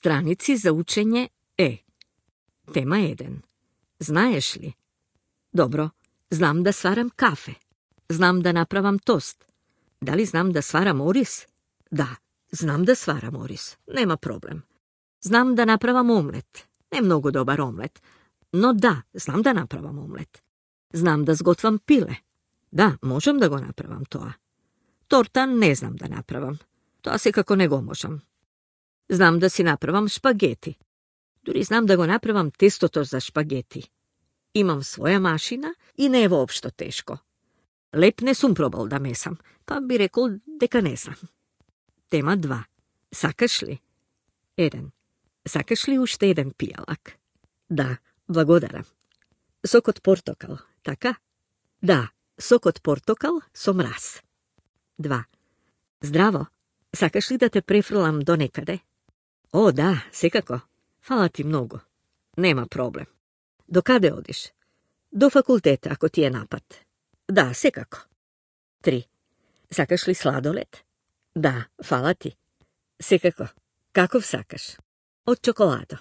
страници за учење Е. Тема 1. Знаеш ли? Добро, знам да сварам кафе. Знам да направам тост. Дали знам да сварам орис? Да, знам да сварам орис. Нема проблем. Знам да направам омлет. Не многу добар омлет, но да, знам да направам омлет. Знам да сготвам пиле. Да, можам да го направам тоа. Торта не знам да направам. Тоа секако не го можам. Знам да си направам шпагети. Дури знам да го направам тестото за шпагети. Имам своја машина и не е воопшто тешко. Леп не сум пробал да месам, па би рекол дека не знам. Тема 2. Сакаш ли? 1. Сакаш ли уште еден пијалак? Да, благодарам. Сок од портокал, така? Да, сок од портокал со мраз. 2. Здраво, сакаш ли да те префрлам до некаде? О, да, секако. Фала ти многу. Нема проблем. До каде одиш? До факултета, ако ти е напад. Да, секако. 3. Сакаш ли сладолед? Да, фала ти. Секако. Каков сакаш? Од чоколадо.